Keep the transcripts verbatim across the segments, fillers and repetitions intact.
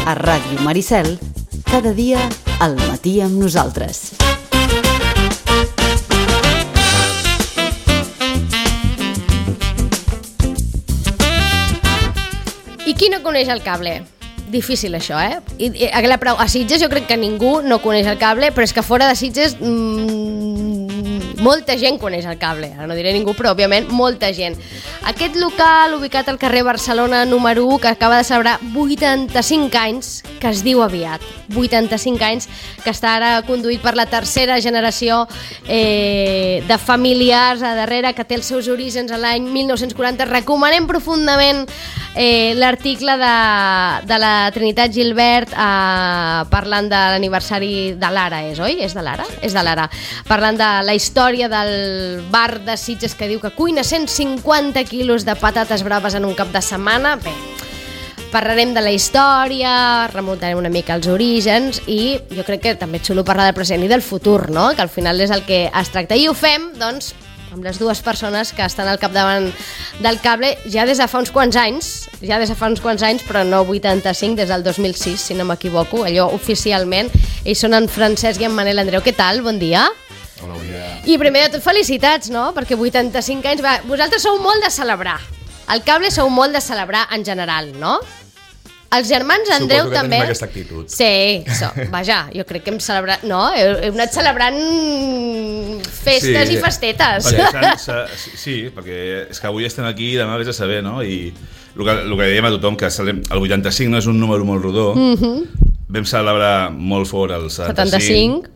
A Ràdio Maricel, cada dia al matí amb nosaltres. I qui no coneix el cable? Difícil això, eh? I, i, a Sitges jo crec que ningú no coneix el cable, però és que fora de Sitges mmm, molta gent coneix el cable. Ara no diré ningú, però òbviament molta gent. Aquest local ubicat al carrer Barcelona número u, que acaba de celebrar vuitanta-cinc anys, que es diu aviat, vuitanta-cinc anys, que està ara conduït per la tercera generació eh, de familiars a darrere, que té els seus orígens a l'any mil nou-cents quaranta. Recomanem profundament eh, l'article de, de la Trinitat Gilbert eh, parlant de l'aniversari de l'Ara, és, oi? És de l'Ara? És de l'Ara. Parlant de la història del bar de Sitges, que diu que cuina cent cinquanta quilos de patates braves en un cap de setmana. Bé, parlarem de la història, remuntarem una mica als orígens i jo crec que també és xulo parlar del present i del futur, no? Que al final és el que es tracta. I ho fem, doncs, amb les dues persones que estan al capdavant del cable ja des de fa uns quants anys, ja des de fa uns quants anys, però no vuitanta-cinc, des del dos mil sis, si no m'equivoco, allò oficialment. Ells són en Francesc i en Manel Andreu. Què tal? Bon dia. Hola, bon dia. I primer de tot, felicitats, no? Perquè vuitanta-cinc anys... Va, vosaltres sou molt de celebrar. El cable sou molt de celebrar en general, no? Els germans Andreu Suposo que també... tenim aquesta actitud. Sí, so, vaja, jo crec que hem celebrat... No, heu, heu anat celebrant festes Sí, i festetes. perquè s'han- s'ha- sí, perquè és que avui estem aquí i demà vés a saber, no? I el que, el que diem a tothom, que celebrem- el vuitanta-cinc no és un número molt rodó. Mm-hmm. Vam celebrar molt fort el setanta-cinc, setanta-cinc.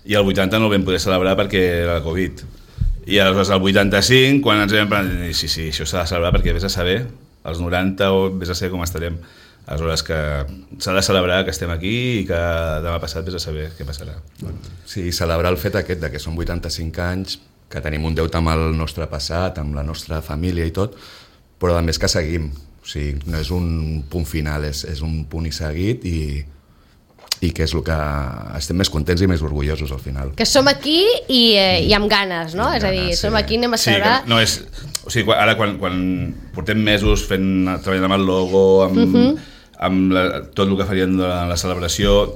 I el vuitanta no el vam poder celebrar perquè era el Covid. I aleshores el vuitanta-cinc, quan ens vam prendre, sí, sí, això s'ha de celebrar perquè vés a saber, els noranta o vés a saber com estarem. Aleshores que s'ha de celebrar que estem aquí i que demà passat vés a saber què passarà. Sí, celebrar el fet aquest de que són vuitanta-cinc anys, que tenim un deute amb el nostre passat, amb la nostra família i tot, però a més que seguim. O sigui, no és un punt final, és, és un punt i seguit i, i que és el que estem més contents i més orgullosos al final. Que som aquí i, eh, i amb ganes, no? Amb És a dir, ganes, som sí. aquí, anem a Sí, celebrar... que no és... O sigui, quan- ara quan, quan portem mesos fent, treballant amb el logo, amb, uh-huh. amb la, tot el que farien durant la celebració,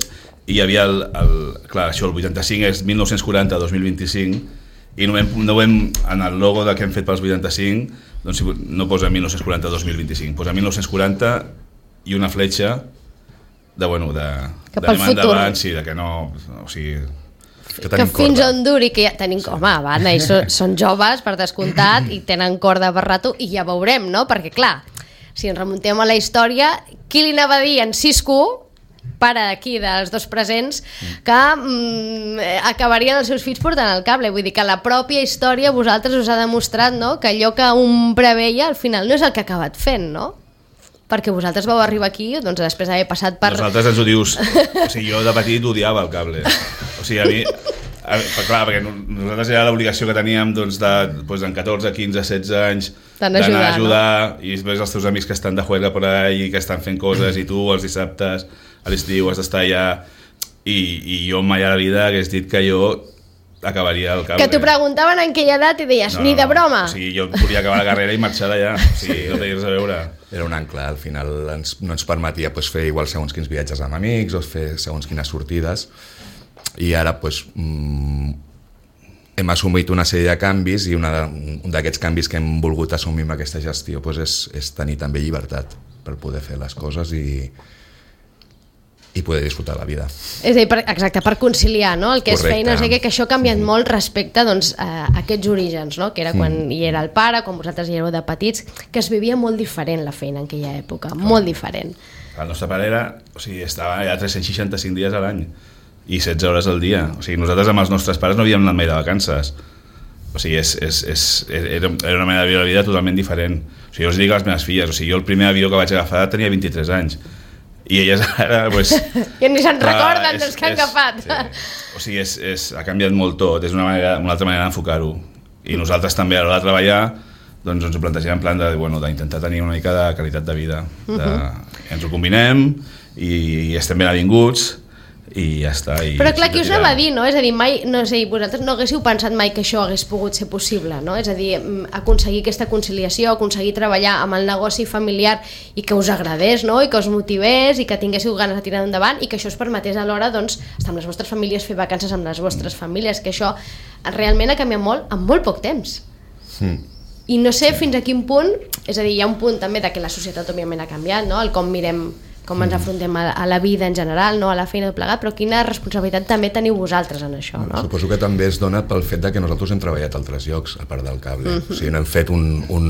i hi havia el, el... Clar, això, el vuitanta-cinc és mil nou-cents quaranta a dos mil vint-i-cinc, i no hem, no hem, en el logo que hem fet pels vuitanta-cinc, doncs no posa mil nou-cents quaranta a dos mil vint-i-cinc, posa mil nou-cents quaranta i una fletxa de, bueno, de... Cap al futur. Endavant, sí, de que no... O sigui... Que, Que fins on duri, que ja tenim... Sí. Home, va, ells són, són joves, per descomptat, i tenen corda per rato, i ja veurem, no? Perquè, clar, si ens remuntem a la història, qui li anava a dir en Cisco, pare d'aquí, dels dos presents, que mm, acabarien els seus fills portant el cable? Vull dir que la pròpia història vosaltres us ha demostrat, no?, que allò que un preveia al final no és el que ha acabat fent, no? Perquè vosaltres vau arribar aquí, doncs després d'haver passat per... Nosaltres ens ho dius... O sigui, jo de petit odiava el cable. O sigui, a mi... A, clar, perquè nosaltres era l'obligació que teníem doncs, de, doncs, en catorze, quinze, setze anys d'anar a ajudar, ajudar no? I després els teus amics que estan de juerga por ahí, que estan fent coses, i tu els dissabtes, a l'estiu has d'estar allà... I, I jo mai a la vida hagués dit que jo acabaria el cable. Que t'ho preguntaven en aquella edat i deies, no, ni de broma. O sigui, jo volia acabar la carrera i marxar d'allà. O sigui, no tenies a veure... Era un ancle, al final ens, no ens permetia pues, fer igual segons quins viatges amb amics o fer segons quines sortides, i ara pues, mm, hem assumit una sèrie de canvis i una, un d'aquests canvis que hem volgut assumir amb aquesta gestió pues, és, és tenir també llibertat per poder fer les coses i, i poder disfrutar la vida. És a dir, per, exacte, per conciliar, no? El que Correcte. és feina, o sigui, que això ha canviat molt respecte doncs, a aquests orígens, no? Que era quan mm. hi era el pare, quan vosaltres hi éreu de petits, que es vivia molt diferent la feina en aquella època, Clar. molt diferent. El nostre pare era, o sigui, estava allà tres-cents seixanta-cinc dies a l'any i setze hores al dia. O sigui, nosaltres amb els nostres pares no havíem anat mai de vacances. O sigui, és, és, és, era, era una manera de viure la vida totalment diferent. O sigui, jo els dic a les meves filles, o sigui, jo el primer avió que vaig agafar tenia vint-i-tres anys. I elles ara, pues, que ni se'n clar, recorden és, dels que han és, agafat. Sí. O sigui, és, és, ha canviat molt tot, és una, manera, una altra manera d'enfocar-ho. I nosaltres també a l'hora de treballar doncs ens ho plantegem en plan de, bueno, d'intentar tenir una mica de qualitat de vida. De, uh-huh. Ens ho combinem i, i estem ben avinguts i ja està. I però clar, qui us tirar. va dir, no? És a dir, mai, no sé, vosaltres no haguéssiu pensat mai que això hagués pogut ser possible, no? És a dir, aconseguir aquesta conciliació, aconseguir treballar amb el negoci familiar i que us agradés, no? I que us motivés i que tinguéssiu ganes de tirar endavant i que això us permetés alhora, doncs, estar amb les vostres famílies, fer vacances amb les vostres famílies, que això realment ha canviat molt en molt poc temps. Mm. I no sé fins a quin punt, és a dir, hi ha un punt també de que la societat òbviament ha canviat, no? El com mirem, com ens afrontem a, a la vida en general, no? A la feina de plegat, però quina responsabilitat també teniu vosaltres en això, no? Suposo que també es dona pel fet de que nosaltres hem treballat a altres llocs, a part del cable. Uh-huh. O sigui, no hem fet un, un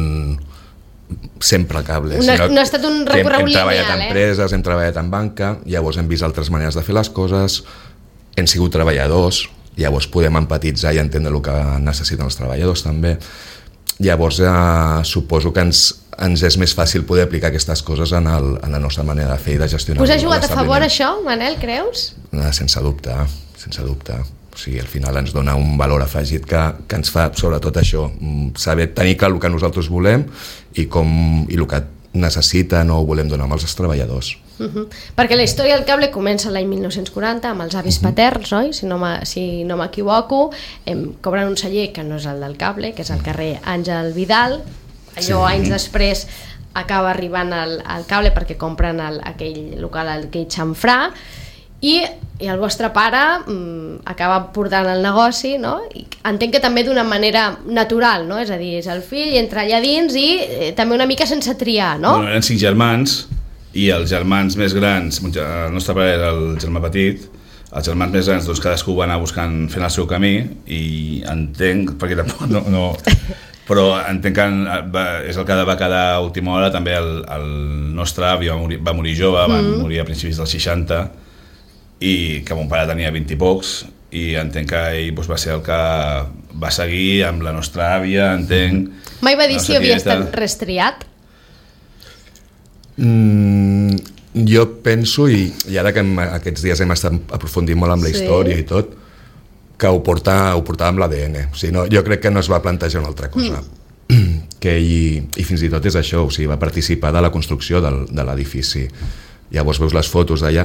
sempre cable. No, no ha estat un recorregut lineal, eh? Hem treballat en empreses, hem treballat en banca, llavors hem vist altres maneres de fer les coses, hem sigut treballadors, llavors podem empatitzar i entendre el que necessiten els treballadors també. Llavors eh, suposo que ens, ens és més fàcil poder aplicar aquestes coses en, el, en la nostra manera de fer i de gestionar. Us ha jugat a favor això, Manel, creus? Eh, sense dubte, sense dubte. O sigui, al final ens dona un valor afegit que, que ens fa, sobretot això, saber tenir clar el que nosaltres volem i, com, i el que necessiten o volem donar als treballadors. Uh-huh. Perquè la història del cable comença l'any mil nou-cents quaranta amb els avis uh-huh. paterns, oi? Si no, si no m'equivoco, em cobren un celler que no és el del cable, que és el carrer Àngel Vidal. Allò sí. Anys després acaba arribant al, al cable perquè compren el, aquell local, aquell xamfrà, i, i el vostre pare mm, acaba portant el negoci, no? I entenc que també d'una manera natural, no? És a dir, és el fill, entra allà dins i eh, també una mica sense triar, no? Bueno, eren cinc germans i els germans més grans, el nostre pare era el germà petit, els germans més grans doncs cadascú va anar buscant, fent el seu camí, i entenc, perquè tampoc no, no però entenc que va, és el que va quedar a última hora. També el, el nostre avi va morir, va morir jove, va mm. morir a principis dels seixanta, i que mon pare tenia vint i pocs, i entenc que ell doncs, va ser el que va seguir amb la nostra àvia, entenc. Mai va dir si havia estat restriat? Mm, jo penso, i, i ara que hem, aquests dies hem estat aprofundint molt amb la sí. història i tot, que ho, porta, ho portava amb l'A D N. O sigui, no, jo crec que no es va plantejar una altra cosa. Mm. Que ell, i fins i tot és això, o sigui, va participar de la construcció del, de l'edifici. Llavors veus les fotos d'allà,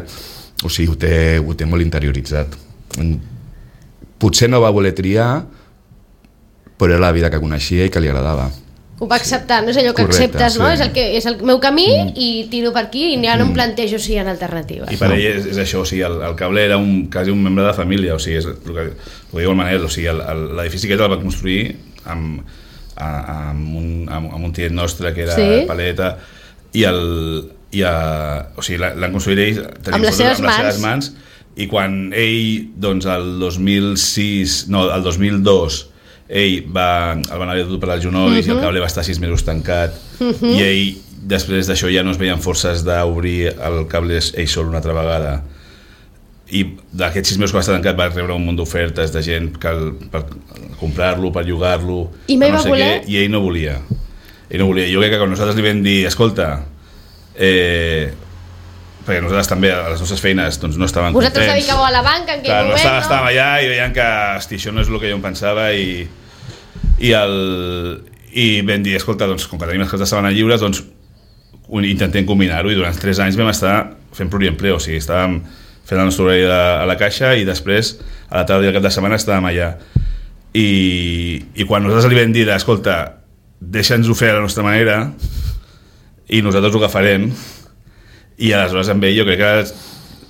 o sigui, ho té, ho té molt interioritzat. Potser no va voler triar, però era la vida que coneixia i que li agradava. Ho va acceptar, no és allò que correcte, acceptes, no? Sí. És, el que, és el meu camí mm. i tiro per aquí i ja no em plantejo si hi ha alternatives. I per ell és, és això, o sigui, el, el cable era un, quasi un membre de família, o sigui, és el que, el que diu el Manel, o sigui, l'edifici aquest el va construir amb, amb, un, amb, amb un tiet nostre que era sí. Paleta, i, el, i a, o sigui, l'han construït ells amb les seves amb mans. Les seves mans, i quan ell, doncs, el dos mil sis, no, el dos mil dos, ell va, el van haver dut per als genolls uh-huh. i el cable va estar sis mesos tancat uh-huh. i ell, després d'això ja no es veien forces d'obrir el cable ell sol una altra vegada, i d'aquests sis mesos que va estar tancat va rebre un munt d'ofertes de gent que el, per comprar-lo, per llogar-lo, i mai no va sé voler? Què, i ell no volia ell no volia, jo crec que quan nosaltres li vam dir escolta, eh, perquè nosaltres també a les nostres feines doncs, no estàvem vosaltres contents, dedicàveu a la banca en aquell clar, moment, no? Estàvem, no? estàvem allà i veiem que hosti, això no és el que jo em pensava, i i, el, i vam dir, escolta, doncs, com que tenim les coses de setmana lliures, doncs intentem combinar-ho, i durant tres anys vam estar fent pluriempleo, o sigui, estàvem fent el nostre horari a la caixa i després a la tarda i al cap de setmana estàvem allà, i, i quan nosaltres li vam dir, escolta, deixa'ns-ho fer a la nostra manera i nosaltres ho agafarem, i aleshores amb ell jo crec que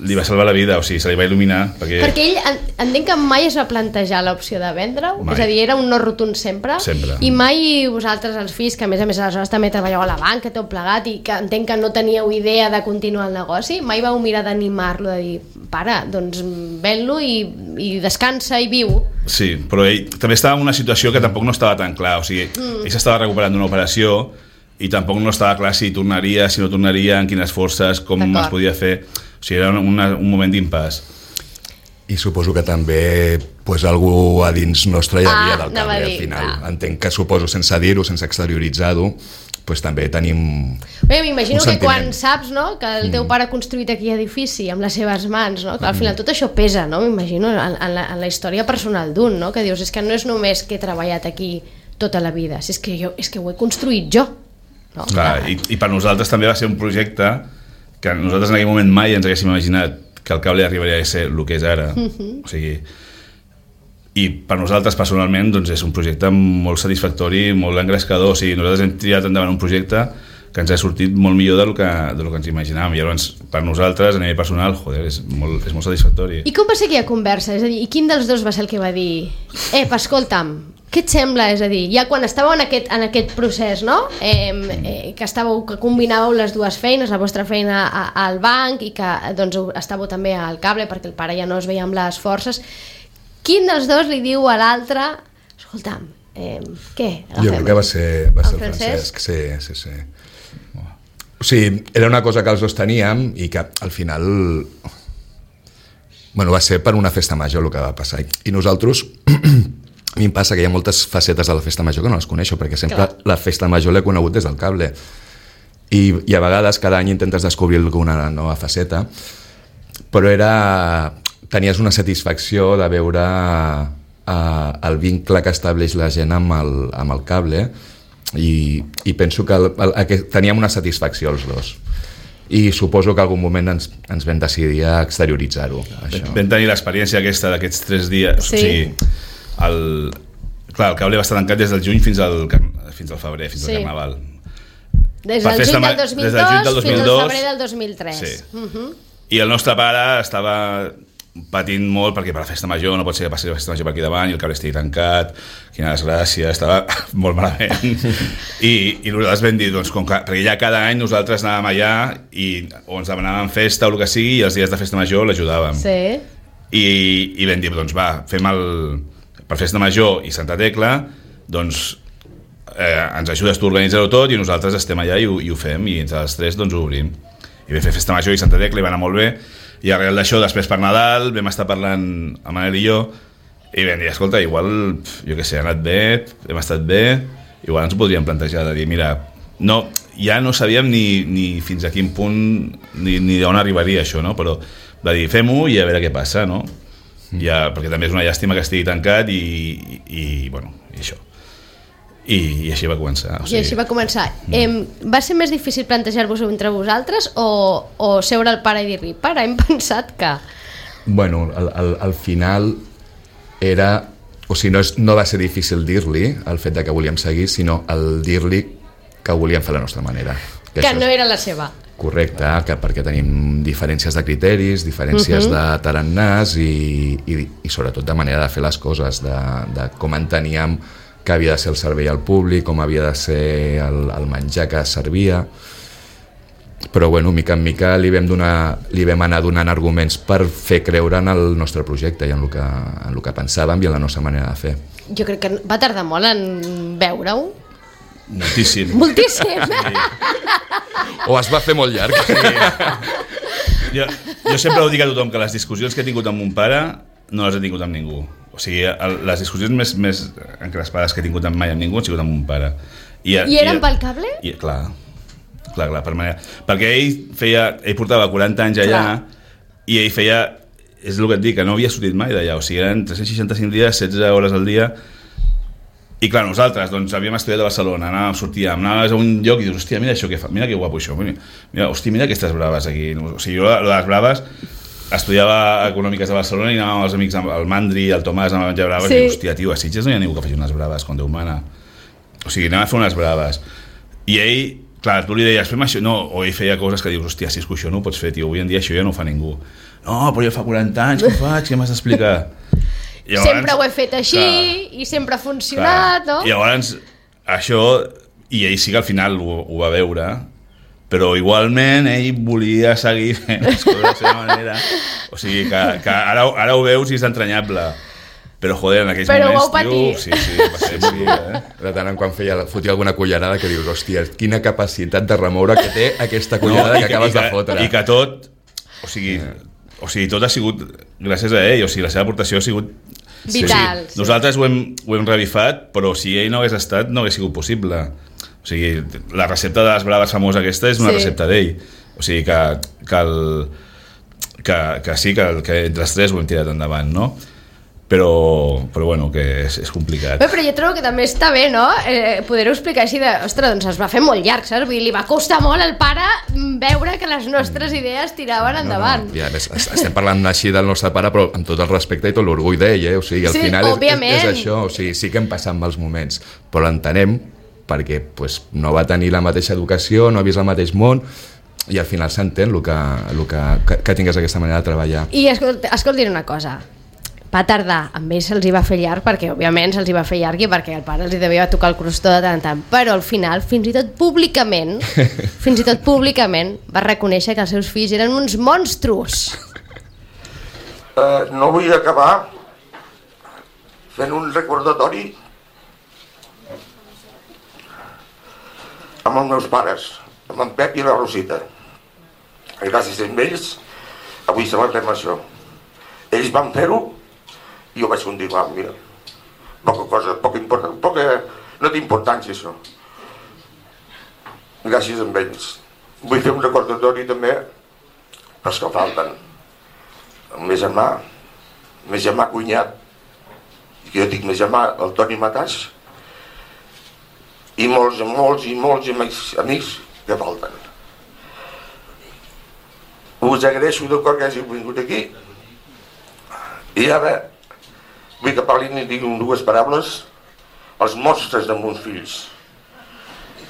li va salvar la vida, o sigui, se li va il·luminar perquè, perquè ell, entenc que mai es va plantejar l'opció de vendre-ho, és a dir, era un no rotund sempre, sempre. I mai vosaltres els fills, que a més a més aleshores també treballeu a la banca, tot plegat, i que entenc que no teníeu idea de continuar el negoci, mai vau mirar d'animar-lo, de dir, pare, doncs ven-lo i, i descansa i viu. Sí, però ell també estava en una situació que tampoc no estava tan clar, o sigui, mm. ell s'estava recuperant d'una operació i tampoc no estava clar si tornaria, si no tornaria, en quines forces, com es podia fer. O sigui, era una, un moment d'impàs. I suposo que també pues, algú a dins nostre hi havia ah, del cable dir, al final. ah. Entenc que suposo, sense dir-ho, sense exterioritzar-ho, pues, també tenim Bé, m'imagino que quan saps, no, que el teu pare ha construït aquell edifici amb les seves mans, no, que al final tot això pesa, no? M'imagino en, en, la, en la història personal d'un, no? Que dius, és que no és només que he treballat aquí tota la vida, és que, jo, és que ho he construït jo. No? Clar, i, i per nosaltres també va ser un projecte que nosaltres en aquell moment mai ens haguéssim imaginat que el cable arribaria a ser el que és ara. Uh-huh. O sigui, i per nosaltres personalment doncs és un projecte molt satisfactori, molt engrescador. O sigui, nosaltres hem tirat endavant un projecte que ens ha sortit molt millor del que, del que ens imaginàvem, i llavors per nosaltres a nivell personal, joder, és molt, és molt satisfactori. I com va ser aquella conversa? És a dir, i quin dels dos va ser el que va dir eh, escolta'm, què et sembla? És a dir, ja quan estàveu en aquest, en aquest procés, no? Eh, eh, que estàveu, que combinàveu les dues feines, la vostra feina a, al banc i que doncs, estàveu també al cable perquè el pare ja no es veia amb les forces, quin dels dos li diu a l'altre escolta'm, eh, què? Jo crec que va ser, va ser el, el Francesc, Francesc. sí, sí, sí. O sigui, era una cosa que els dos teníem i que al final bueno, va ser per una festa major el que va passar. I nosaltres, a mi em passa que hi ha moltes facetes de la festa major que no les coneixo, perquè sempre Clar. la festa major l'he conegut des del cable. I, I a vegades cada any intentes descobrir alguna nova faceta, però era... tenies una satisfacció de veure uh, el vincle que estableix la gent amb el, amb el cable, i, i penso que, el, el, que teníem una satisfacció els dos, i suposo que en algun moment ens, ens vam decidir a exterioritzar-ho. Vam tenir l'experiència aquesta d'aquests tres dies. Sí. O sigui, el, clar, el cable va estar tancat des del juny fins al, fins al febrer, fins sí. al Carnaval. Des del juny del dos mil dos, del dos mil dos fins al febrer del dos mil tres. Sí. Uh-huh. I el nostre pare estava patint molt perquè per la festa major no pot ser que passi la festa major per aquí davant i el cable estigui tancat, quina desgràcia, estava molt malament. I, i nosaltres vam dir, doncs, com que, perquè ja cada any nosaltres anàvem allà i o ens demanàvem festa o el que sigui, i els dies de festa major l'ajudàvem. Sí. I, i vam dir, doncs va, fem el... per festa major i Santa Tecla, doncs eh, ens ajudes tu a organitzar-ho tot i nosaltres estem allà i ho, i ho fem, i entre els tres doncs ho obrim. I vam fer festa major i Santa Tecla i va anar molt bé. I arrel d'això, després per Nadal, vam estar parlant amb Manel i jo, i vam dir, escolta, igual, jo què sé, ha anat bé, hem estat bé, igual ens ho podríem plantejar de dir, mira, no, ja no sabíem ni, ni fins a quin punt, ni, ni d'on arribaria això, no? Però va dir, fem-ho i a veure què passa, no? Ja, perquè també és una llàstima que estigui tancat i, i, i bueno, i això. I, i així va començar. O sigui... I així va començar. Mm. Eh, va ser més difícil plantejar-vos entre vosaltres o, o seure al pare i dir-li, pare, hem pensat que... Bueno, al, al, al final era... O sigui, no, és, no va ser difícil dir-li el fet de que volíem seguir, sinó el dir-li que ho volíem fer a la nostra manera. Que, que no és... era la seva. Correcte, que perquè tenim diferències de criteris, diferències uh-huh. de tarannàs i, i, i sobretot de manera de fer les coses, de, de com enteníem que havia de ser el servei al públic, com havia de ser el, el menjar que servia. Però bueno, mica en mica li vam, donar, li vam anar donant arguments per fer creure en el nostre projecte i en el que, en el que pensàvem i en la nostra manera de fer. Jo crec que va tardar molt en veure-ho. Moltíssim. Moltíssim. Sí. O es va fer molt llarg. Sí. Jo, jo sempre ho dic a tothom, que les discussions que he tingut amb mon pare no les he tingut amb ningú. O sigui, el, les discussions més, més encrespades que he tingut mai amb ningú han sigut amb mon pare. I, I eren i, pel cable? I, clar, clar, clar, per manera. Perquè ell feia, ell portava quaranta anys allà clar. I ell feia, és el que et dic, que no havia sortit mai d'allà, o sigui, eren tres-cents seixanta-cinc dies, setze hores al dia. I clar, nosaltres doncs, havíem estudiat a Barcelona, anàvem, sortíem, anàvem a un lloc i dius, hòstia, mira això que fa, mira que guapo això, mira, hòstia, mira aquestes braves aquí. O sigui, jo les braves estudiava econòmiques a Barcelona i anàvem amb els amics, el Mandri, el Tomàs, anàvem a menjar braves sí. I hòstia, tio, a Sitges no hi ha ningú que faci unes braves quan Déu mana. O sigui, anem a fer unes braves. I ell, clar, tu li deies, fem això, no, o ell feia coses que dius, hòstia, si és que això no ho pots fer, tio, avui en dia això ja no ho fa ningú. No, però jo fa quaranta anys, què faig, què m'has d'explicar? Llavors, sempre ho he fet així clar, i sempre ha funcionat, clar. No? I llavors, això, i ell sí que al final ho, ho va veure, però igualment ell volia seguir fent les coses de la seva manera. O sigui, que, que ara, ara ho veus i és entranyable. Però, joder, en aquells però moments, tio... Sí, sí, va ser sí, eh? De tant en quan feia, fotia alguna cullerada que dius, hòstia, quina capacitat de remoure que té aquesta cullerada no, que, que acabes que, de fotre. I que tot, o sigui, o sigui, tot ha sigut gràcies a ell, o sigui, la seva aportació ha sigut... Vital. Sí. Nosaltres ho hem, ho hem revifat, però si ell no hagués estat, no hagués sigut possible. O sigui, la recepta de les braves famosa aquesta és una sí. recepta d'ell. O sigui, que, que, el, que, que sí, que, que entre els tres ho hem tirat endavant, no? però, però bueno, que és, és complicat. Bé, però jo trobo que també està bé, no? Eh, poder-ho explicar així de... Ostres, doncs es va fer molt llarg, saps? Vull dir, li va costar molt al pare veure que les nostres idees tiraven endavant. No, no. I a més, estem parlant així del nostre pare, però amb tot el respecte i tot l'orgull d'ell, eh? O sigui, al sí, final és, és, és això, o sigui, sí que hem passat mals moments, però l'entenem perquè pues, no va tenir la mateixa educació, no ha vist el mateix món, i al final s'entén el que, el que, que, que tingués aquesta manera de treballar. I escolta, escolta una cosa, va tardar, amb ells se'ls hi va fer llarg perquè òbviament se'ls hi va fer llarg i perquè el pare els hi devia tocar el crostó de tant en tant, però al final fins i tot públicament fins i tot públicament va reconèixer que els seus fills eren uns monstruos. Uh, no vull acabar fent un recordatori amb els meus pares, amb en Pep i la Rosita. Gràcies a ells avui celebrem això. Ells van fer-ho i jo vaig continuar, mira, poca cosa, poca important, poca, no té importància això. Gràcies a ells. Vull fer un recordatori també pels que falten. El meu germà, el meu germà cunyat, que jo dic meu germà, el Toni Matàs, i molts, molts i molts amics, amics que falten. Us agraeixo de cor que hàgiu vingut aquí i ara vull que parlin i diguin dues paraules als monstres de meus fills,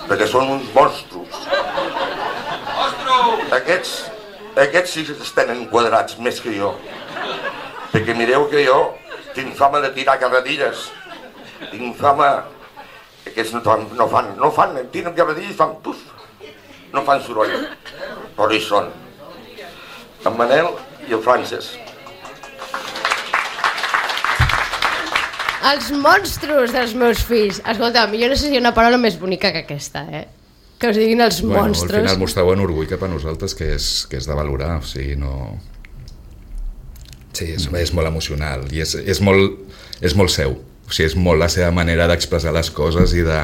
perquè són uns monstros. Aquests, aquests sí que estan enquadrats més que jo, perquè mireu que jo tinc fama de tirar carretilles, tinc fama... Aquests no fan, no fan, no fan, tiren carretilles i fan puf, no fan soroll, però hi són. En Manel i el Francesc. Els monstros dels meus fills. Escolta'm, jo no sé si hi ha una paraula més bonica que aquesta, eh? Que us diguin els bueno, monstros. Al final mostreu un orgull cap a nosaltres que és, que és de valorar, o sigui, no... Sí, és, és molt emocional i és, és, molt, és molt seu. O sigui, és molt la seva manera d'expressar les coses i de...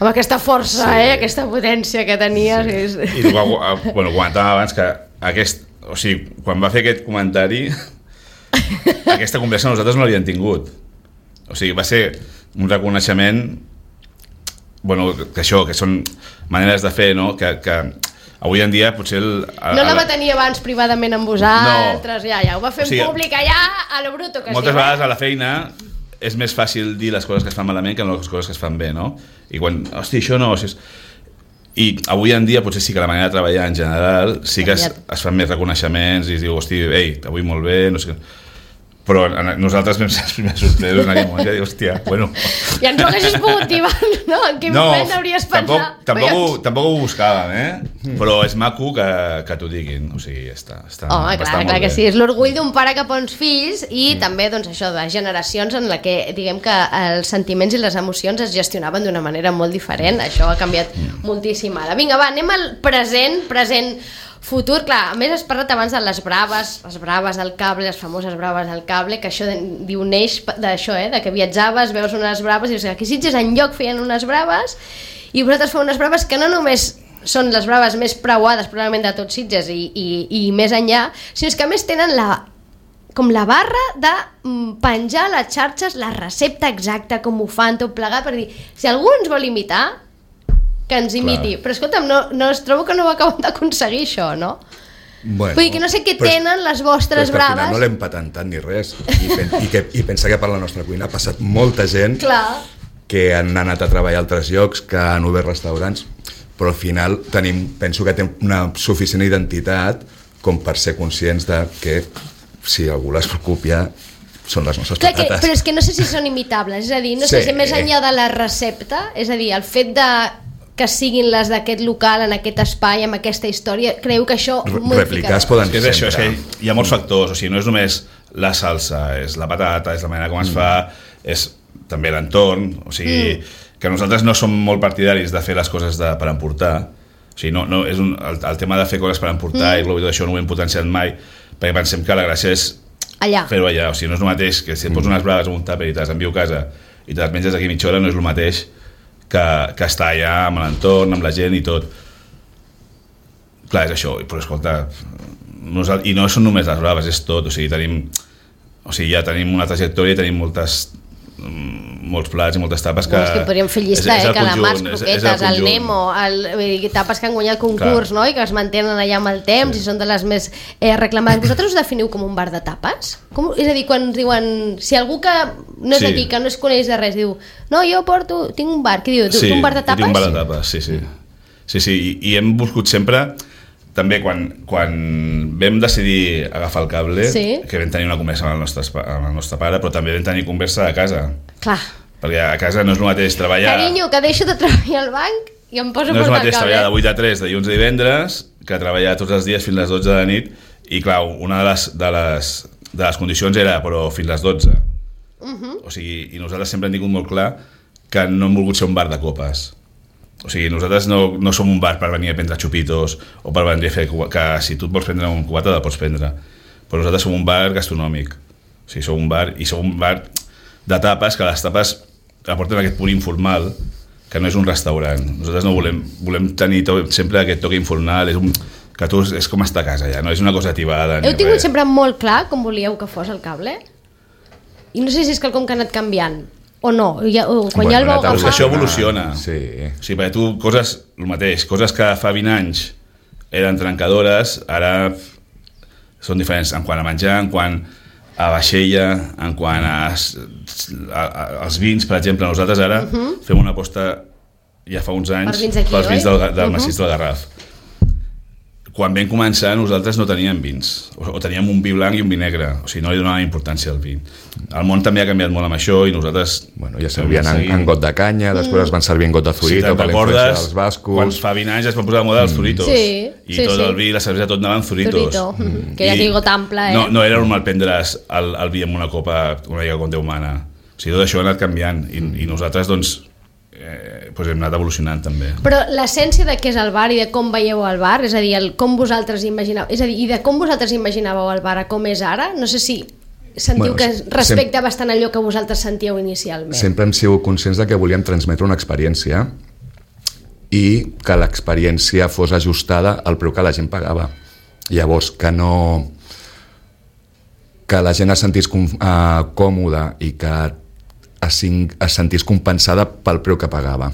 Amb aquesta força, sí. eh? Aquesta potència que tenies. Sí. És... I tu, bueno, comentàvem abans que aquest, o sigui, quan va fer aquest comentari aquesta conversa nosaltres no l'havíem tingut. O sigui, va ser un reconeixement, bueno, que això, que són maneres de fer, no? Que, que avui en dia potser... El, el, no la va tenir abans privadament amb vosaltres, no. ja, ja ho va fer en o sigui, públic allà a lo bruto que moltes sí. vegades a la feina és més fàcil dir les coses que es fan malament que no les coses que es fan bé, no? I quan, hosti, això no... O sigui, i avui en dia potser sí que la manera de treballar en general sí que es, es fan més reconeixements i es diu, hosti, ei, avui molt bé, no sé què... Però nosaltres vam ser els primers sorpresos en aquell moment que diu, hòstia, bueno... Ja ens ho haguessis pogut dir, no? En quin no, moment hauries pensat? Tampoc, tampoc, ho, tampoc ho buscàvem, eh? Mm. Però és maco que, que t'ho diguin, o sigui, està, està, Home, clar, està clar molt que bé. sí, és l'orgull d'un pare cap a uns fills i mm. també, doncs, això, de generacions en la que, diguem que els sentiments i les emocions es gestionaven d'una manera molt diferent, això ha canviat mm. moltíssim ara. Vinga, va, anem al present, present... Futur, clar, a més has parlat abans de les braves, les braves del cable, les famoses braves del cable, que això de, diu neix d'això, eh, de que viatjaves, veus unes braves i dius que aquí Sitges enlloc feien unes braves i vosaltres feu unes braves que no només són les braves més preuades probablement de tot Sitges i, i, i més enllà, sinó que a més tenen la, com la barra de penjar a les xarxes la recepta exacta, com ho fan, tot plegat, per dir, si algú ens vol imitar, que ens imiti. Clar. Però escolta'm, no, no es trobo que no ho acabem d'aconseguir això, no? Bueno, vull dir que no sé què tenen és, les vostres però braves. Al final no l'hem patentat ni res i, pen, i, que, i pensa que per la nostra cuina ha passat molta gent Clar. que han anat a treballar a altres llocs, que han obert restaurants, però al final tenim, penso que tenim una suficient identitat com per ser conscients de que si algú les copia són les nostres Clar, patates. Que, però és que no sé si són imitables, és a dir, no sí. sé si més enllà de la recepta, és a dir, el fet de que siguin les d'aquest local, en aquest espai, amb aquesta història, creu que això... Replicar es poden és això, és que hi ha molts factors, o sigui, no és només la salsa, és la patata, és la manera com es mm. fa, és també l'entorn, o sigui, mm. que nosaltres no som molt partidaris de fer les coses de, per emportar, o sigui, no, no, és un, el, el tema de fer coses per emportar mm. i tot això no ho hem potenciat mai, perquè pensem que la gràcia és allà. fer-ho allà, o sigui, no és el mateix que si et pots unes braves en un tàper i te les envio a casa i te les menges d'aquí mitja hora, no és el mateix que, que està allà amb l'entorn, amb la gent i tot. Clar, és això, però escolta, no, i no són només les braves, és tot, o sigui, tenim o sigui, ja tenim una trajectòria i tenim moltes molts plats i moltes tapes que... No, és que podríem fer llista, és, és eh? Calamars, conjunt, croquetes, és, és el, el Nemo, el, tapes que han guanyat concurs, no? I que es mantenen allà amb el temps, sí. I són de les més eh, reclamades. Vosaltres us definiu com un bar de tapes? Com, és a dir, quan diuen... Si algú que no és sí. D'aquí, que no es coneix de res, diu no, jo porto, tinc un bar, què diu? Sí, tu un bar de tapes? Sí, tinc un bar de tapes, sí, sí. Sí, sí, i, i hem buscat sempre... També quan, quan vam decidir agafar el cable, sí. Que vam tenir una conversa amb el, nostre, amb el nostre pare, però també vam tenir conversa a casa. Clar. Perquè a casa no és el mateix treballar... Carinyo, que deixo de treballar al banc i em poso no a portar el cable. No és el mateix treballar de vuit a tres, de dilluns a divendres, que treballar tots els dies fins a les dotze de la nit, i clar, una de les, de les, de les condicions era, però fins a les dotze. Uh-huh. O sigui, i nosaltres sempre hem tingut molt clar que no hem volgut ser un bar de copes. O sigui, nosaltres no, no som un bar per venir a prendre xupitos o per venir a fer... que si tu et vols prendre un cubata, el pots prendre. Però nosaltres som un bar gastronòmic. O sigui, som un bar, i som un bar de tapes, que les tapes aporten aquest punt informal, que no és un restaurant. Nosaltres no volem, volem tenir to, sempre aquest toc informal, és, un, que tu és com estar a casa ja, no és una cosa tibada. Heu tingut res. Sempre molt clar com volíeu que fos el cable? I no sé si és quelcom que ha anat canviant. O no, ja, o quan bueno, ja el vau agafar... Això evoluciona. Sí. O sigui, perquè tu, coses, el mateix, coses que fa vint anys eren trencadores, ara són diferents en quant a menjar, en quant a vaixella, en quant a, a, a, als vins, per exemple. Nosaltres ara uh-huh. fem una aposta ja fa uns anys pels vins, aquí, pels vins del, del uh-huh. massís del Garraf. Quan vam començar nosaltres no teníem vins, o, o teníem un vi blanc i un vi negre, o sigui, no li donàvem importància al vi. El món també ha canviat molt amb això i nosaltres... Bueno, ja servien en, en got de canya, després es van servir en got de zurito, sí, per la influència dels bascos... Quan fa vint anys es van posar de moda els zuritos, sí, i sí, tot sí. el vi, la cervesa, tot anaven zuritos. Zurito, mm. que ja té got ample, eh? No, no era normal prendre's el, el vi amb una copa, una mica com Déu mana. O sigui, tot això ha anat canviant i, i nosaltres, doncs, eh, doncs hem anat evolucionant també. Però l'essència de què és el bar i de com veieu el bar, és a dir, el, com vosaltres imagineu, és a dir, i de com vosaltres imaginàveu el bar a com és ara, no sé si sentiu bueno, que respecta sem- bastant allò que vosaltres sentíeu inicialment. Sempre hem sigut conscients de que volíem transmetre una experiència i que l'experiència fos ajustada al preu que la gent pagava. Llavors, que no... que la gent es sentís com, uh, còmoda i que es, es sentís compensada pel preu que pagava.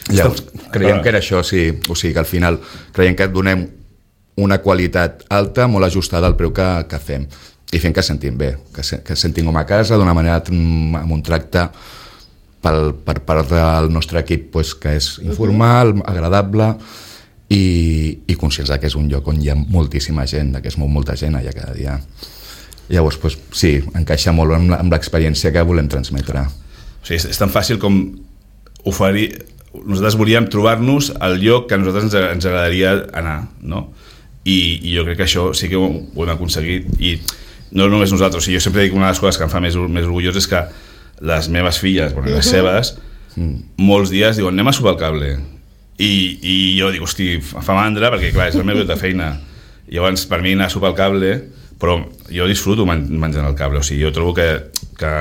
Llavors, creiem que era això, sí. O sigui, que al final creiem que donem una qualitat alta, molt ajustada al preu que, que fem. I fent que sentim bé, que, se, que sentim com a casa, d'una manera, amb un tracte pel, per part del nostre equip, pues, que és informal, uh-huh. agradable, i, i conscients que és un lloc on hi ha moltíssima gent, que es mou molta gent allà cada dia. Llavors, pues, sí, encaixa molt amb, amb l'experiència que volem transmetre. O sigui, és, és tan fàcil com oferir... Nosaltres volíem trobar-nos al lloc que a nosaltres ens, ens agradaria anar, no? I, i jo crec que això sí que ho, ho hem aconseguit, i no només nosaltres. O sigui, jo sempre dic que una de les coses que em fa més, més orgullós és que les meves filles, bueno, les seves, mm. molts dies diuen anem a sopar el cable. I, i jo dic, hosti, fa mandra, perquè clar, és el meu lloc de feina. I llavors, per mi anar a sopar el cable, però jo disfruto men menjant el cable. O sigui, jo trobo que, que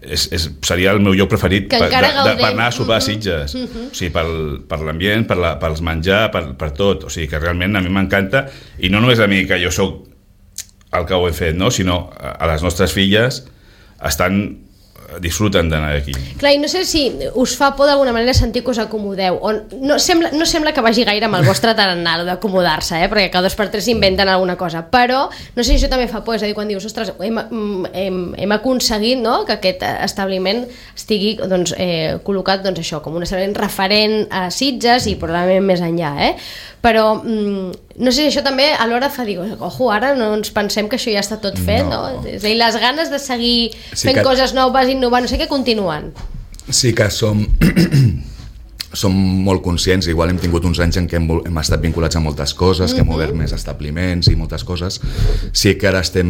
és, és, seria el meu lloc preferit per, de, de, per anar a sopar a Sitges. Uh-huh. O sigui, pel, per l'ambient, per la, pels menjar, per, per tot. O sigui, que realment a mi m'encanta, i no només a mi, que jo sóc el que ho he fet, no? Sinó a les nostres filles estan disfruten d'anar aquí. Clar, i no sé si us fa por d'alguna manera sentir que us acomodeu, o no sembla, no sembla que vagi gaire amb el vostre tarannà d'acomodar-se, eh? Perquè cada dos per tres inventen alguna cosa, però no sé si això també fa por, és a dir, quan dius, ostres, hem, hem, hem aconseguit, no?, que aquest establiment estigui, doncs, eh, col·locat, doncs això, com un establiment referent a Sitges i probablement més enllà, eh? Però mm, no sé si això també alhora fa dir, ojo, ara no ens pensem que això ja està tot fet, no? no? És a dir, les ganes de seguir sí fent que... coses noves, innovant, no sé què, continuen. Sí que som som molt conscients, igual hem tingut uns anys en què hem, hem estat vinculats a moltes coses, que hem obert més establiments i moltes coses. Sí que ara estem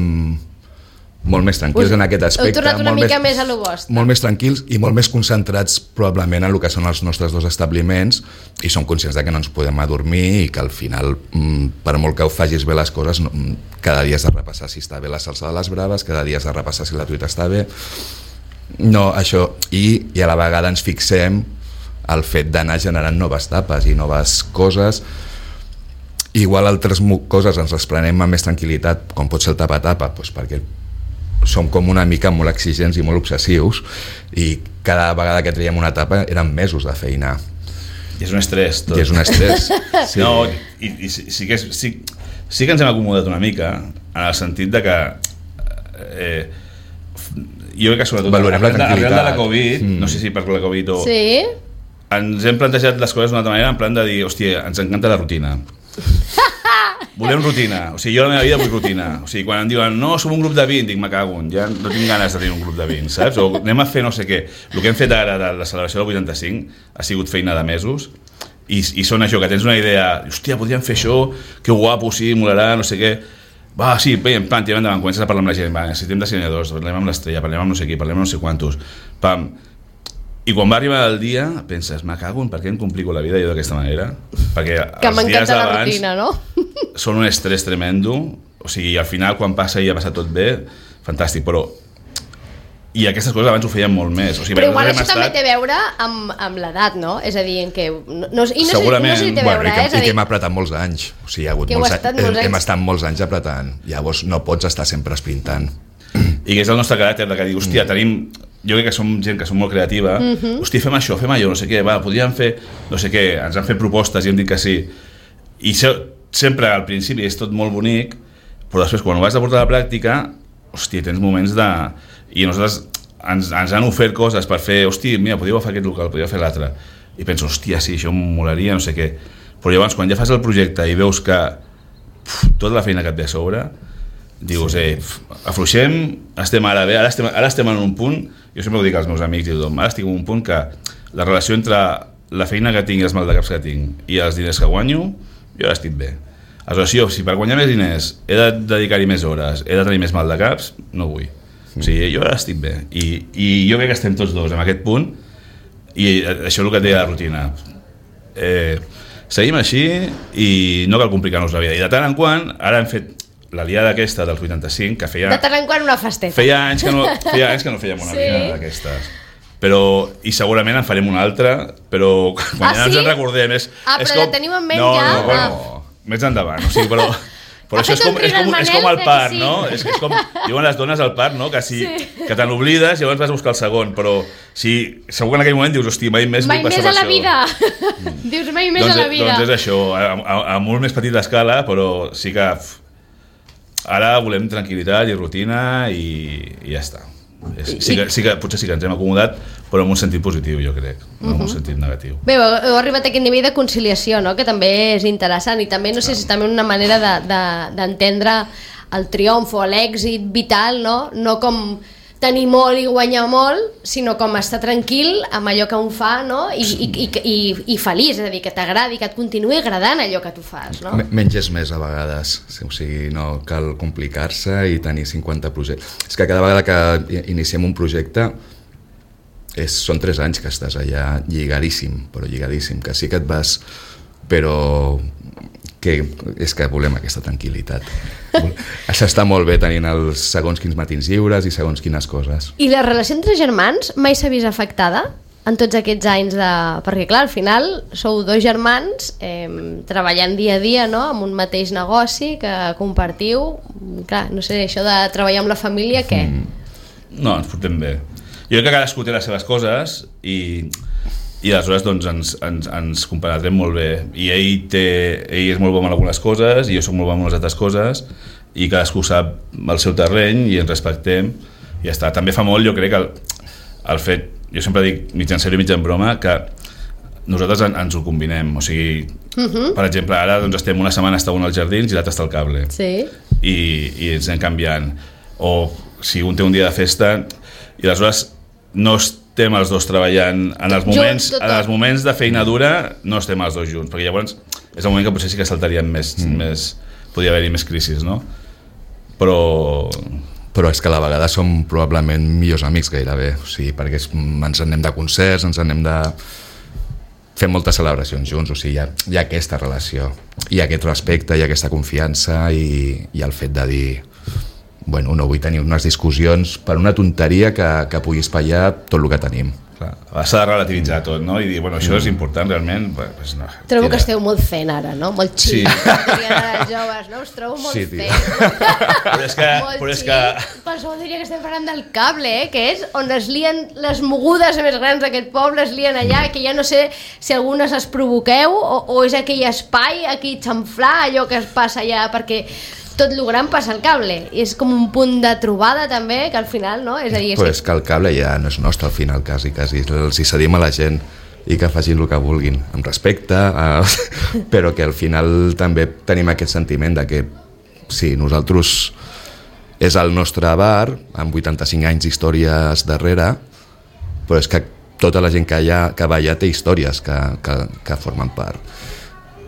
molt més tranquils en aquest aspecte. Heu tornat una mica més, més a lo vostre. Molt més tranquils i molt més concentrats probablement en el que són els nostres dos establiments, i som conscients de que no ens podem adormir i que al final, per molt que ho facis bé les coses, cada dia has de repassar si està bé la salsa de les braves, cada dia has de repassar si la truita està bé. No, això, i, i a la vegada ens fixem el fet d'anar generant noves tapes i noves coses. Igual altres coses ens les prenem amb més tranquil·litat, com pot ser el tapa-tapa, doncs perquè som com una mica molt exigents i molt obsessius, i cada vegada que traiem una etapa eren mesos de feina. I és un estrès, tot. I és un estrès. Sí. No, i, i sí, sí, que és, sí, sí que ens hem acomodat una mica, en el sentit de que eh, jo crec que sobretot valorem la tranquil·litat. Arrel de la Covid, mm. no sé si per la Covid o... Sí? Ens hem plantejat les coses d'una altra manera, en plan de dir, hòstia, ens encanta la rutina. Volem rutina, o sigui, jo a la meva vida vull rutina. O sigui, quan em diuen, no, som un grup de vint, dic, me cago en, ja no tinc ganes de tenir un grup de vint, saps? O anem a fer no sé què. El que hem fet ara de la celebració del vuitanta-cinc ha sigut feina de mesos, i, i són això, que tens una idea, hòstia, podríem fer això, que guapo, sí, molarà, no sé què. Va, sí, bé, en plan, tirem endavant, comences a parlar amb la gent, va, necessitem dissenyadors, parlem amb l'Estrella, parlem amb no sé qui, parlem amb no sé quantos, pam. I quan va arribar el dia, penses, me cago en per què em complico la vida jo d'aquesta manera? Perquè que els dies la d'abans rutina, no? són un estrès tremendo, o sigui, al final quan passa i ha passat tot bé, fantàstic, però i aquestes coses abans ho feien molt més. O sigui, però igual això estat... també té a veure amb, amb l'edat, no? És a dir, en què... No, no, i no segurament. Sé, no sé si té a veure, bueno, i que, eh? És a dir... i que hem apretat molts anys. O sigui, hi ha hagut molts, estat anys, molts anys. hem estat molts anys apretant. Llavors no pots estar sempre esprintant. I que és el nostre caràcter, de que dir, hòstia, tenim... Jo crec que som gent que som molt creativa. Uh-huh. Hòstia, fem això, fem allò, no sé què, va, podríem fer... No sé què, ens han fet propostes i hem dit que sí. I se, sempre al principi és tot molt bonic, però després quan ho vas a portar a la pràctica, hòstia, tens moments de... I nosaltres ens, ens han ofert coses per fer, hòstia, mira, podríeu fer aquest local, podríeu fer l'altre. I penso, hòstia, sí, això em molaria, no sé què. Però llavors, quan ja fas el projecte i veus que pf, tota la feina que et ve a sobre, dius, sí. eh, afluixem, estem ara bé, ara estem, ara estem en un punt, jo sempre ho dic als meus amics i tothom, ara estic en un punt que la relació entre la feina que tinc i els maldecaps que tinc i els diners que guanyo, jo ara estic bé. Aleshores, jo, si per guanyar més diners he de dedicar-hi més hores, he de tenir més maldecaps, no vull. O sigui, jo ara estic bé. I, i jo crec que estem tots dos en aquest punt, i això és el que té la rutina. Eh, seguim així i no cal complicar-nos la vida. I de tant en quant, ara hem fet la liada aquesta dels vuitanta-cinc, que feia... De tant en quant una festeta. Feia anys que no, feia anys que no fèiem una sí. liada d'aquestes. Però, i segurament en farem una altra, però quan ah, ja sí? ens en recordem... És, ah, és però com... la teniu en ment no, ja? No, no, bueno, més endavant. O sigui, però, però això és com, és, com, és com el part, sí. no? És, és com, diuen les dones al part, no? Que, si, sí. que te n'oblides i llavors vas a buscar el segon, però si, segur que en aquell moment dius, hosti, mai més mai vull passar per Mai això. més a la vida. Mm. Dius, mai més doncs, a la vida. Doncs és això, a, a, a molt més petita escala, però sí que... Ara volem tranquil·litat i rutina i, i ja està. Sí que, sí que, potser sí que ens hem acomodat, però en un sentit positiu, jo crec, no en un sentit negatiu. Bé, heu arribat a aquest nivell de conciliació, no? Que també és interessant i també, no sé si és també una manera d'entendre de, de, el triomf o l'èxit vital, no? No com tenir molt i guanyar molt, sinó com estar tranquil amb allò que un fa, no? I, i, i, i, i feliç, és a dir, que t'agradi, que et continuï agradant allò que tu fas, no? Menys és més a vegades, o sigui, no cal complicar-se i tenir cinquanta projectes. És que cada vegada que iniciem un projecte és, són tres anys que estàs allà lligadíssim, però lligadíssim, que sí que et vas, però que és que volem aquesta tranquil·litat. Això està molt bé tenint els segons quins matins lliures i segons quines coses. I la relació entre germans mai s'ha vist afectada en tots aquests anys de... Perquè clar, al final sou dos germans eh, treballant dia a dia, no? Amb un mateix negoci que compartiu. Clar, no sé, això de treballar amb la família, què? Mm. No, ens portem bé. Jo crec que cadascú té les seves coses i... i aleshores doncs, ens, ens, ens compenetrem molt bé i ell, té, ell és molt bo en algunes coses i jo soc molt bo en les altres coses i cadascú sap el seu terreny i ens respectem i ja està. També fa molt, jo crec, el, el fet, jo sempre dic mig en sèrio i mig en broma, que nosaltres en, ens ho combinem, o sigui, uh-huh. per exemple, ara doncs, estem una setmana està un als jardins i l'altre està al cable sí. I, i ens anem canviant, o si un té un dia de festa i aleshores no estem els dos treballant en els moments, en els moments de feina dura, no estem els dos junts, perquè llavors és el moment que potser sí que saltaríem més, mm. més podria haver-hi més crisis, no? Però... Però és que a la vegada som probablement millors amics gairebé, o sigui, perquè és, ens anem de concerts, ens anem de... Fem moltes celebracions junts, o sigui, hi ha, hi ha aquesta relació, hi ha aquest respecte, hi ha aquesta confiança i, i el fet de dir... Bueno, no vull tenir unes discussions per una tonteria que, que pugui espatllar tot el que tenim. s'ha de relativitzar tot, no? I dir, bueno, això és important realment. Pues no, trobo tira. que esteu molt zen ara, no? Molt xic. Sí. Els joves, no? Us trobo molt Sí, zen. tio. Però és que... Molt Però és xic. que... Qualsevol diria que estem parlant del cable, eh? Que és on es lien les mogudes més grans d'aquest poble, es lien allà, que ja no sé si algunes es provoqueu o, o és aquell espai, aquí xamflar, allò que es passa allà, perquè tot lo gran passa al cable. I és com un punt de trobada també, que al final, no? És a dir, és Pues que el cable ja no és nostre al final, quasi, quasi. Els hi cedim a la gent i que facin el que vulguin, amb respecte, eh, però que al final també tenim aquest sentiment de que sí, nosaltres és el nostre bar, amb vuitanta-cinc anys d'històries darrere, però és que tota la gent que, hi ha, que va allà té històries que, que, que formen part.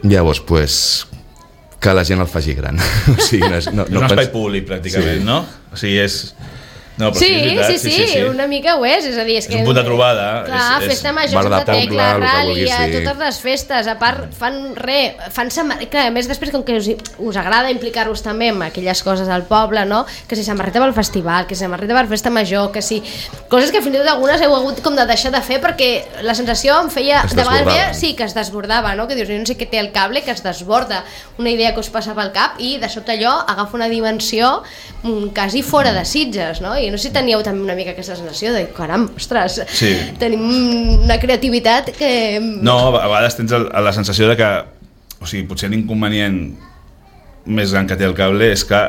Llavors, pues, que la gent el faci gran. O sigui, no és, no, És no un espai pens... públic, pràcticament, Sí. no? O sigui, és... No, però sí, sí, és veritat, sí, sí, sí, sí, una mica ho és, és a dir... És, És que, un punt de trobada. Clar, és, és... festa major, bar de Santa Tecla, poble, el que Rally, vulguis, a sí. totes les festes, a part fan re, fan samarreta, clar, a més després com que us, us agrada implicar-vos també en aquelles coses al poble, no? Que si samarreta pel festival, que si samarreta per festa major, que si... Coses que fins i tot algunes heu hagut com de deixar de fer perquè la sensació em feia... Es de vegades desbordava. veia, sí, que es desbordava, no? Que dius, jo no sé què té el cable, que es desborda una idea que us passa pel cap i de sobte allò agafa una dimensió mm, quasi fora de Sitges, no? I no sé si teníeu també una mica aquesta sensació de, caram, ostres, Sí. tenim una creativitat que... No, a vegades tens el, la sensació de que, o sigui, potser l'inconvenient més gran que té el cable és que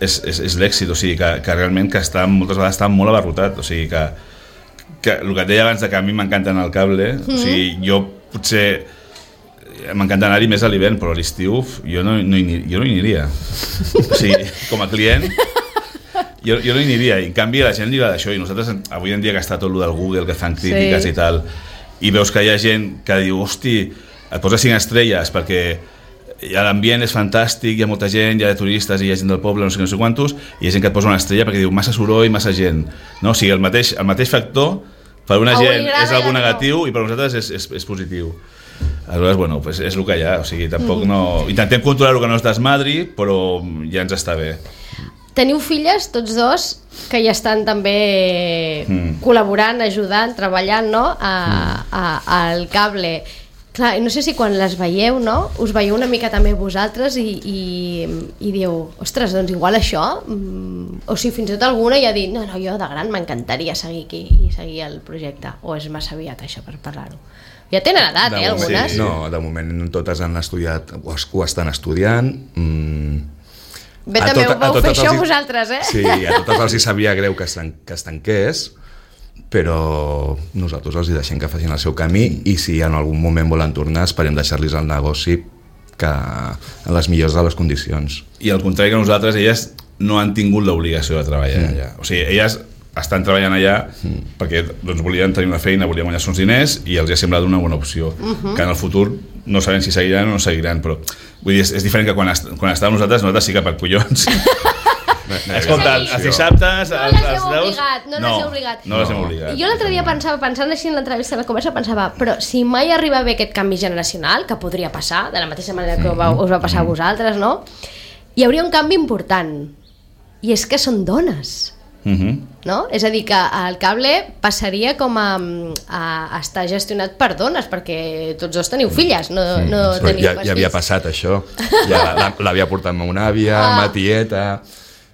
és, és, és l'èxit, o sigui, que, que realment que està, moltes vegades està molt abarrotat, o sigui, que, que el que et deia abans de que a mi m'encanta anar al cable, mm -hmm. o sigui, jo potser m'encanta anar-hi més a l'hivern, però a l'estiu jo, no, no hi, jo no hi aniria. O sigui, com a client... Jo, jo no hi aniria, i en canvi a la gent li agrada això, i nosaltres avui en dia que està tot el del Google, que fan crítiques Sí. i tal, i veus que hi ha gent que diu, hosti, et posa cinc estrelles perquè l'ambient és fantàstic, hi ha molta gent, hi ha turistes i hi ha gent del poble, no sé, no sé quantos, i hi ha gent que et posa una estrella perquè diu massa soroll, massa gent, no? O sigui, el mateix, el mateix factor per una A un li gent agrada és i a algú l'altre no. negatiu i per nosaltres és, és, és positiu. Aleshores, bueno, pues és el que hi ha, o sigui, tampoc no... Intentem controlar el que no es desmadri, però ja ens està bé. Teniu filles, tots dos, que ja estan també Mm. col·laborant, ajudant, treballant, no?, a, a, al cable. Clar, no sé si quan les veieu, no?, us veieu una mica també vosaltres i, i, i diu, ostres, doncs igual això, mm, o si fins i tot alguna ja ha dit, no, no, jo de gran m'encantaria seguir aquí i seguir el projecte, o és massa aviat això per parlar-ho. Ja tenen edat, De eh, moment, algunes? sí. No, de moment totes han estudiat, o, es- ho estan estudiant. Mm, Bé, a també tot- ho a vau fer totes això els hi- vosaltres, eh? Sí, a totes els hi sabia greu que es, tan, que es tanqués, però nosaltres els hi deixem que facin el seu camí i si en algun moment volen tornar esperem deixar-los el negoci que en les millors de les condicions. I al contrari que nosaltres, elles no han tingut l'obligació de treballar mm. allà. O sigui, elles estan treballant allà mm. perquè doncs, volien tenir una feina, volien guanyar uns diners i els ha semblat una bona opció. Uh-huh. Que en el futur no sabem si seguiran o no seguiran, però vull dir, és, és diferent que quan, est quan estàvem nosaltres, nosaltres sí que per collons. Escolta, els dissabtes... No els, les heu els deus... obligat, no les heu obligat. No les hem obligat. Jo l'altre dia pensava, pensant així en l'entrevista, la conversa, pensava, però si mai arriba a haver aquest canvi generacional, que podria passar, de la mateixa manera que va, us va passar a vosaltres, no? Hi hauria un canvi important, i és que són dones, Uh -huh. no? És a dir, que el cable passaria com a, a, a estar gestionat per dones, perquè tots dos teniu filles, no, no Però teniu ja, pas ja havia fills. passat això, ja la- l'havia portat ma una àvia, Ah. ma tieta...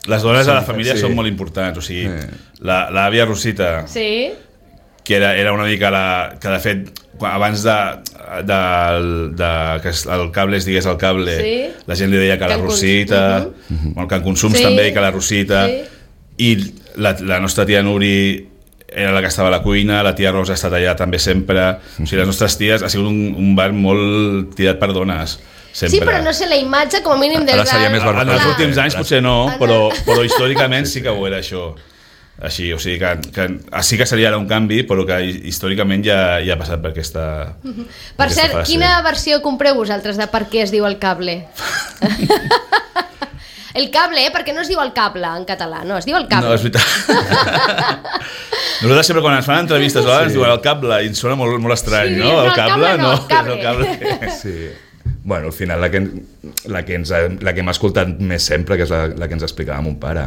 Les dones a la Sí, família sí. són molt importants, o sigui, Sí. la- l'àvia Rosita, Sí? que era, era una mica la, que de fet quan- abans de, de, de que es- el cable es digués el cable, Sí. la gent li deia que la Can Cons- Rosita, uh -huh. bueno, Can Consums Sí. també, que la Rosita, Sí. i la, la nostra tia Nuri era la que estava a la cuina, la tia Rosa ha estat allà també sempre, o sigui, les nostres ties ha sigut un, un bar molt tirat per dones, sempre. Sí, però no sé la imatge, com a mínim del Ara seria més En els Clar. últims anys potser no, Ara- però, però històricament sí que ho era això. Així, o sigui que, que sí que seria ara un canvi, però que històricament ja, ja ha passat per aquesta Per aquesta cert, fase. quina versió compreu vosaltres de per què es diu el cable? El cable, eh? Perquè no es diu el cable en català, no, es diu el cable. No, és veritat. Nosaltres sempre quan ens fan entrevistes sí. ens diuen el cable i ens sona molt, molt estrany, Sí, no? no, El el cable, cable no, no, el cable. és el cable. Sí. Bueno, al final la que, la que, ens, ha- la que hem escoltat més sempre, que és la, la que ens explicava mon pare.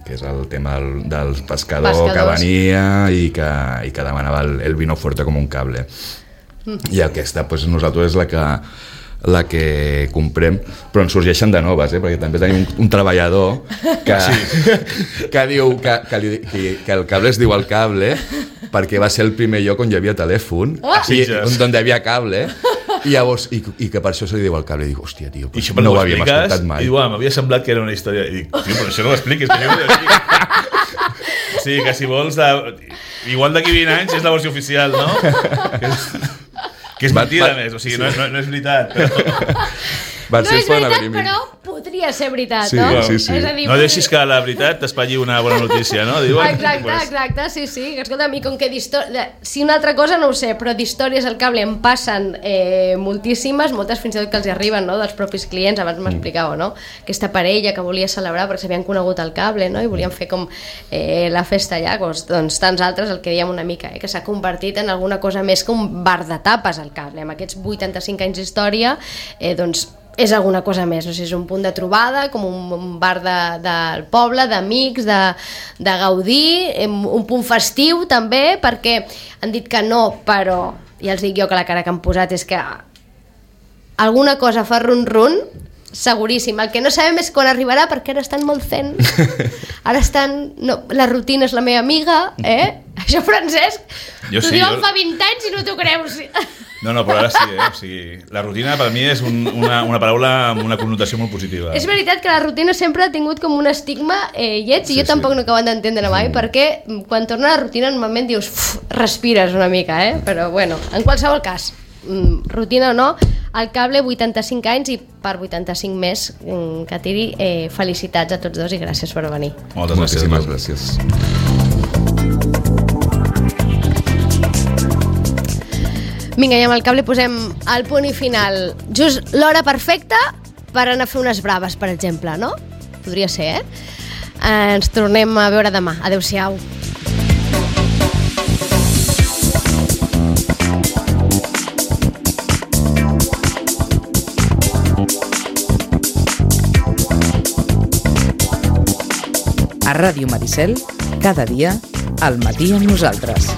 que és el tema del, del pescador Pescadors. que venia i que, i que demanava el, el vino fuerte com un cable. Mm. I aquesta, pues, nosaltres és la que la que comprem, però ens sorgeixen de noves, eh? Perquè també tenim un, un treballador que, sí. que diu que, que, li, que, que el cable es diu el cable perquè va ser el primer lloc on hi havia telèfon, ah, i, on, on hi havia cable, i, llavors, i, i que per això se li diu el cable. I dic, hòstia, tio, I no ho havíem escoltat mai. I diu, ah, m'havia semblat que era una història. I dic, tio, però això no ho expliquis, que jo no ho expliquis. O sigui, que si vols... De... Igual d'aquí vint anys és la versió oficial, no? Que és, que és mentida, a més. O sigui, no, no, no és veritat. Però... No és veritat, però podria ser veritat, sí, no? Sí, sí. És a dir, no deixis que la veritat t'espatlli una bona notícia, no? Diuen, exacte, pues... exacte, sí, sí. Escolta, a mi com que si una altra cosa no ho sé, però d'històries al cable em passen eh, moltíssimes, moltes fins i tot que els arriben, no?, dels propis clients. Abans m'explicàveu, no?, aquesta parella que volia celebrar perquè s'havien conegut al cable, no?, i volien fer com eh, la festa allà. Doncs, doncs tants altres, el que dèiem una mica, eh, que s'ha convertit en alguna cosa més que un bar de tapes al cable. Amb aquests vuitanta-cinc anys d'història, eh, doncs és alguna cosa més, no sé, és un punt de trobada, com un, un bar de, del poble, d'amics, de, de gaudir, un punt festiu també, perquè han dit que no, però ja els dic jo que la cara que han posat és que alguna cosa fa run-run, seguríssim. El que no sabem és quan arribarà, perquè ara estan molt zen. Ara estan... No, la rutina és la meva amiga, eh? Això, Francesc, t'ho sí, diuen jo... fa vint anys i no t'ho creus. No, no, però ara sí, eh? O sigui, la rutina per mi és un, una, una paraula amb una connotació molt positiva. És veritat que la rutina sempre ha tingut com un estigma eh, lleig, i sí, jo tampoc sí. no acabo d'entendre mai, mm. perquè quan torna a la rutina normalment dius, respires una mica, eh? Però bueno, en qualsevol cas, rutina o no, el cable vuitanta-cinc anys i per vuitanta-cinc més que tiri, eh, felicitats a tots dos i gràcies per venir. Moltes gràcies. Moltíssimes gràcies. Vinga, i amb el cable posem el punt i final. Just l'hora perfecta per anar a fer unes braves, per exemple, no? Podria ser, eh? eh ens tornem a veure demà. Adéu-siau. A Ràdio Maricel, cada dia, al matí amb nosaltres.